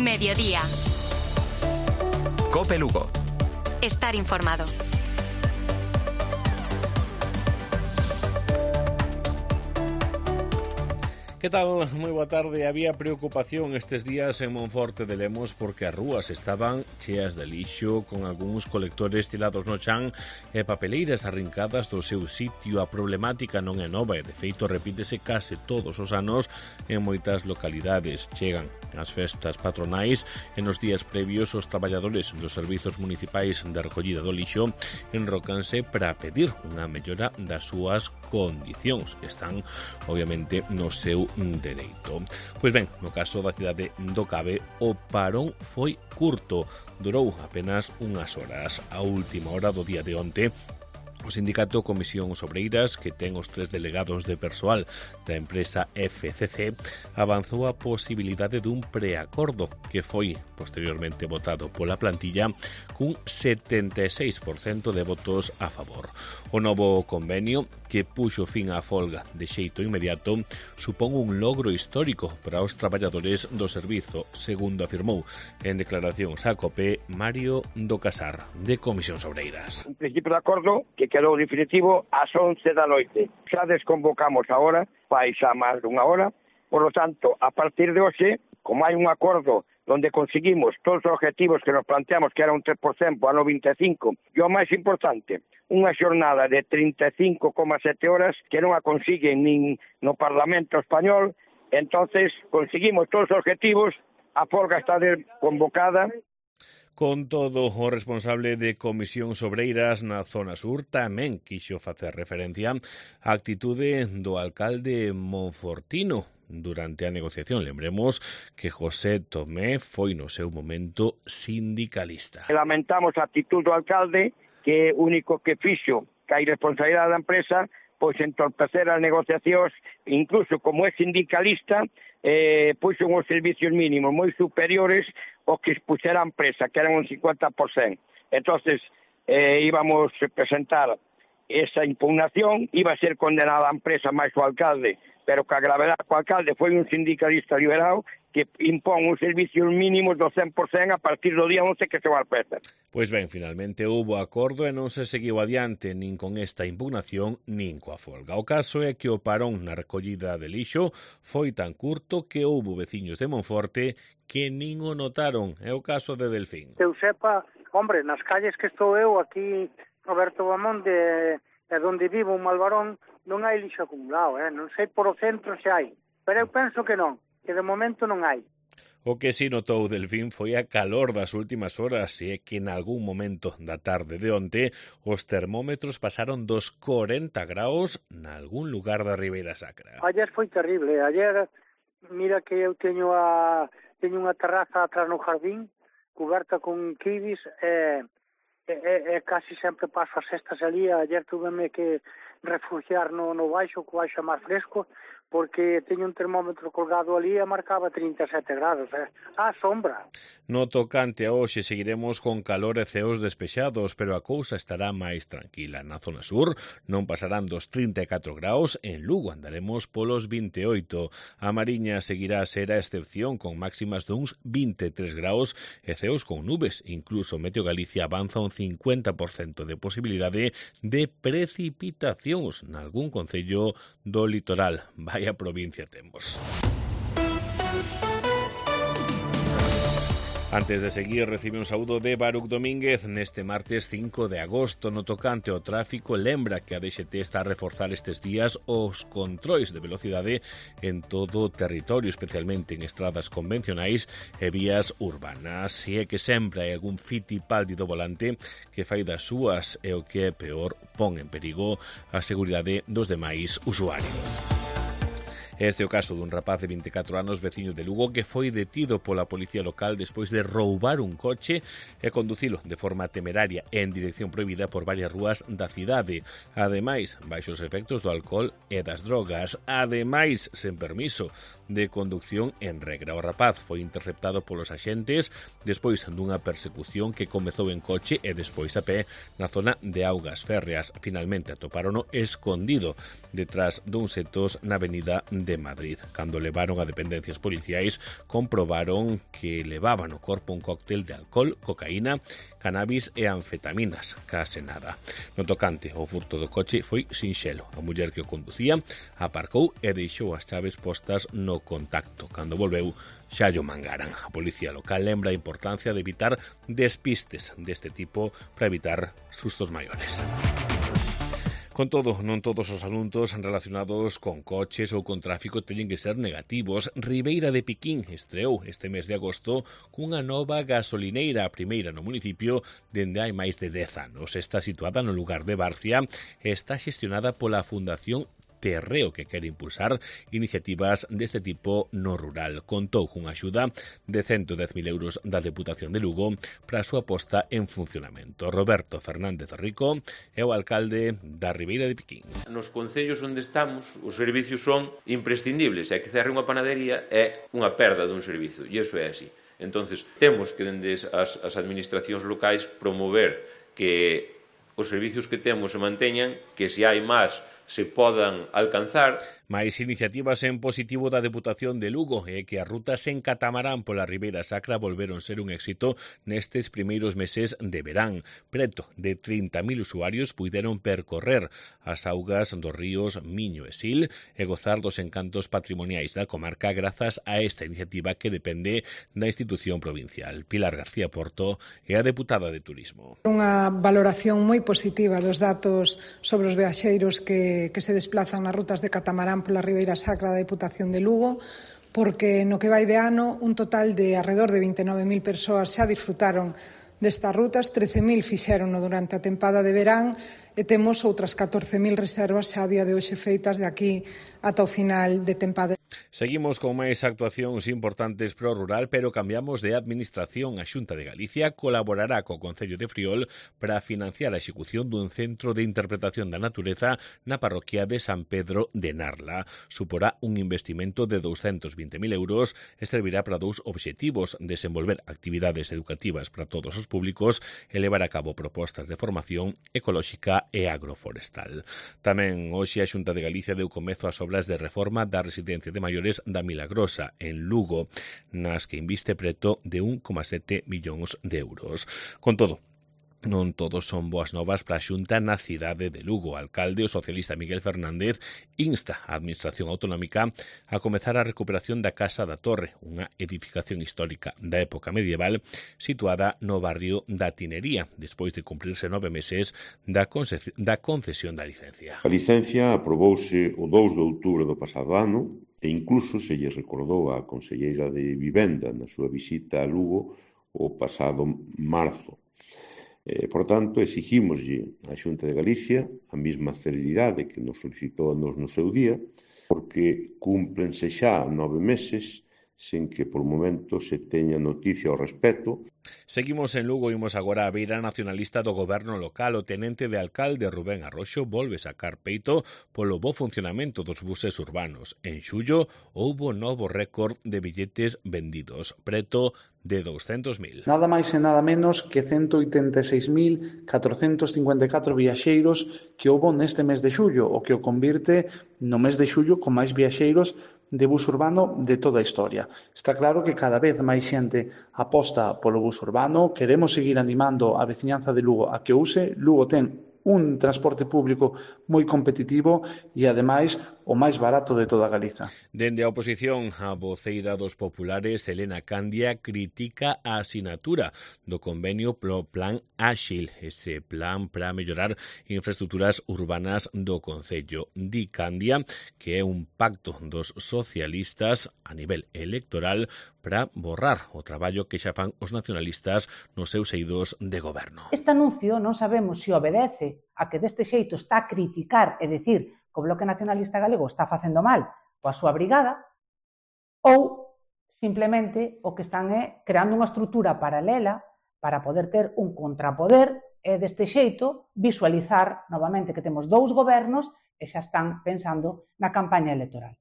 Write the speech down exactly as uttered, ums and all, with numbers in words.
Mediodía. COPE Lugo. Estar informado. Que tal? Moi boa tarde. Había preocupación estes días en Monforte de Lemos porque as rúas estaban cheas de lixo, con algúns colectores tirados no chan e papeleiras arrincadas do seu sitio. A problemática non é nova e, de feito, repítese case todos os anos en moitas localidades. Chegan as festas patronais e nos días previos os traballadores dos servizos municipais de recollida do lixo enrocanse para pedir unha mellora das súas condicións, que están, obviamente, no seu dereito. Pois ben, no caso da cidade do Cabe, o parón foi curto, durou apenas unhas horas. A última hora do día de onte, o sindicato Comisións Obreiras, que ten os tres delegados de persoal da empresa F C C, avanzou a posibilidade dun preacordo que foi posteriormente votado pola plantilla cun setenta e seis por cento de votos a favor. O novo convenio, que puxo fin á folga de xeito inmediato, supón un logro histórico para os traballadores do servizo, segundo afirmou en declaracións a COPE Mario do Casar, de Comisións Obreiras. Un principio de acordo que quedou definitivo ás once da noite. Xa desconvocamos agora, fai xa máis dunha hora, por lo tanto, a partir de hoxe, como hai un acordo donde conseguimos todos os objetivos que nos planteamos, que era un tres por cento ano vinte e cinco, e o máis importante, unha xornada de trinta e cinco coma sete horas que non a consiguen nin no Parlamento Español, entonces conseguimos todos os objetivos, a folga está convocada. Con todo, o responsable de Comisións Obreiras na zona sur tamén quixo facer referencia á actitude do alcalde monfortino durante a negociación. Lembremos que José Tomé foi no seu momento sindicalista. Lamentamos a actitud do alcalde, que único que fixo que a irresponsabilidade da empresa pois entorpecer as negociacións, incluso como é sindicalista, eh, puxo uns servicios mínimos moi superiores aos que expuxera a empresa, que eran un cincuenta por cento. Entonces, eh, íbamos a presentar esa impugnación, iba a ser condenada a empresa máis o alcalde, pero que a gravedade co alcalde foi un sindicalista liberado que impón uns servicios mínimos do cen por cento a partir do día once que se va a empezar. Pois ben, finalmente houbo acordo e non se seguiu adiante nin con esta impugnación nin coa folga. O caso é que o parón na recollida de lixo foi tan curto que houbo veciños de Monforte que nin o notaron. É o caso de Delfín. Eu sepa, hombre, nas calles que estou eu aquí, Roberto Bamón, de, de onde vivo, un Malvarón, non hai lixo acumulado, eh? Non sei por o centro se hai, pero eu penso que non, que de momento non hai. O que si notou Delfín foi a calor das últimas horas e é que en algún momento da tarde de onte os termómetros pasaron dos corenta graus nalgún lugar da Ribeira Sacra. Ayer foi terrible, ayer, mira que eu teño a teño unha terraza atrás no jardín, coberta con kiwis, e, e, e casi sempre paso as cestas ali. Ayer tuveme que refugiar no, no baixo, co baixo máis fresco, porque teño un termómetro colgado ali e marcaba trinta e sete grados, eh? A sombra. No tocante a hoxe seguiremos con calor e ceos despexados, pero a cousa estará máis tranquila. Na zona sur non pasarán dos trinta e catro graus, en Lugo andaremos polos vinte e oito. A Mariña seguirá a ser a excepción, con máximas duns vinte e tres graus e ceos con nubes. Incluso Meteo Galicia avanza un cincuenta por cento de posibilidade de precipitacións nalgún concello do litoral. Vai a provincia temos. Antes de seguir, recibe un saúdo de Baruc Domínguez neste martes cinco de agosto. No tocante ao tráfico, lembra que a D X T está a reforzar estes días os controis de velocidade en todo o territorio, especialmente en estradas convencionais e vías urbanas. E é que sempre hai algún fitipaldi do volante que fai das súas e o que é peor, pon en perigo a seguridade dos demais usuarios. Este é o caso dun rapaz de vinte e catro anos, veciño de Lugo, que foi detido pola policía local despois de roubar un coche e conducilo de forma temeraria en dirección prohibida por varias rúas da cidade. Ademais, baixo os efectos do alcohol e das drogas. Ademais, sen permiso de conducción en regra. O rapaz foi interceptado polos axentes despois dunha persecución que comezou en coche e despois a pé na zona de Augas Férreas. Finalmente atopárono escondido detrás duns setos na avenida de de Madrid. Cando levaron a dependencias policiais, comprobaron que levaban no corpo un cóctel de alcohol, cocaína, cannabis e anfetaminas, case nada. No tocante ao furto do coche foi sinxelo. A muller que o conducía aparcou e deixou as chaves postas no contacto. Cando volveu, xa llo mangaran. A policía local lembra a importancia de evitar despistes deste tipo para evitar sustos maiores. Con todo, non todos os asuntos relacionados con coches ou con tráfico teñen que ser negativos. Ribeira de Piquín estreou este mes de agosto cunha nova gasolineira, a primeira no municipio dende hai máis de dez anos. Está situada no lugar de Barcia e está xestionada pola Fundación Terreo, que quere impulsar iniciativas deste tipo no rural. Contou cunha axuda de ciento dez mil euros da Deputación de Lugo para a súa posta en funcionamento. Roberto Fernández Rico é o alcalde da Ribeira de Piquín. Nos concellos onde estamos, os servicios son imprescindibles, e que cerre unha panadería é unha perda dun servizo, e iso é así. Entonces, temos que, dende as, as administracións locais, promover que os servicios que temos se manteñan, que se hai máis se podan alcanzar. Mais iniciativas en positivo da Deputación de Lugo é que as rutas en catamarán pola Ribeira Sacra volveron ser un éxito nestes primeiros meses de verán. Preto de trinta mil usuarios puideron percorrer as augas dos ríos Miño e Sil e gozar dos encantos patrimoniais da comarca grazas a esta iniciativa que depende da institución provincial. Pilar García Porto é a deputada de Turismo. Unha valoración moi positiva dos datos sobre os viaxeiros que, que se desplazan nas rutas de catamarán pola Ribeira Sacra da Deputación de Lugo, porque no que vai de ano un total de alrededor de vinte e nove mil persoas xa disfrutaron destas rutas, trece mil fixérono durante a tempada de verán e temos outras catorce mil reservas xa a día de hoxe feitas de aquí ata o final de tempada. Seguimos con máis actuacións importantes pro rural, pero cambiamos de administración. A Xunta de Galicia colaborará co Concello de Friol para financiar a execución dun centro de interpretación da natureza na parroquia de San Pedro de Narla. Suporá un investimento de douscentos vinte mil euros e servirá para dous obxectivos: desenvolver actividades educativas para todos os públicos e levar a cabo propostas de formación ecolóxica e agroforestal. Tamén hoxe a Xunta de Galicia deu comezo ás obras de reforma da residencia de maiores da Milagrosa, en Lugo, nas que inviste preto de un coma sete millóns de euros. Con todo, non todos son boas novas para a Xunta na cidade de Lugo. O alcalde, o socialista Miguel Fernández, insta a Administración Autonómica a comezar a recuperación da Casa da Torre, unha edificación histórica da época medieval situada no barrio da Tinería, despois de cumprirse nove meses da, da concesión da licencia. A licencia aprobouse o dous de outubro do pasado ano e incluso se lle recordou á conselleira de Vivenda na súa visita a Lugo o pasado marzo. Eh, por tanto, exigímoslle á Xunta de Galicia a mesma celeridade que nos solicitou nos no seu día, porque cúmplense xa nove meses sen que por momento se teña noticia ao respecto. Seguimos en Lugo e imos agora a beira nacionalista do goberno local. O tenente de alcalde Rubén Arroxo volve sacar peito polo bo funcionamento dos buses urbanos. En xullo houbo novo récord de billetes vendidos, preto de douscentos mil. Nada máis e nada menos que ciento oitenta e seis mil catrocentos cincuenta e catro viaxeiros que houbo neste mes de xullo, o que o convirte no mes de xullo con máis viaxeiros de bus urbano de toda a historia. Está claro que cada vez máis xente aposta polo bus urbano. Queremos seguir animando a veciñanza de Lugo a que use. Lugo ten un transporte público moi competitivo e, ademais, o máis barato de toda Galiza. Dende a oposición, a voceira dos populares, Elena Candia, critica a asinatura do convenio pro Plan Áxil, ese plan para mellorar infraestructuras urbanas do Concello. Di Candia que é un pacto dos socialistas a nivel electoral para borrar o traballo que xa fan os nacionalistas nos seus eidos de goberno. Este anuncio non sabemos se obedece a que deste xeito está a criticar e dicir que o Bloque Nacionalista Galego está facendo mal coa súa brigada, ou simplemente o que están é creando unha estrutura paralela para poder ter un contrapoder e deste xeito visualizar novamente que temos dous gobernos e xa están pensando na campaña electoral.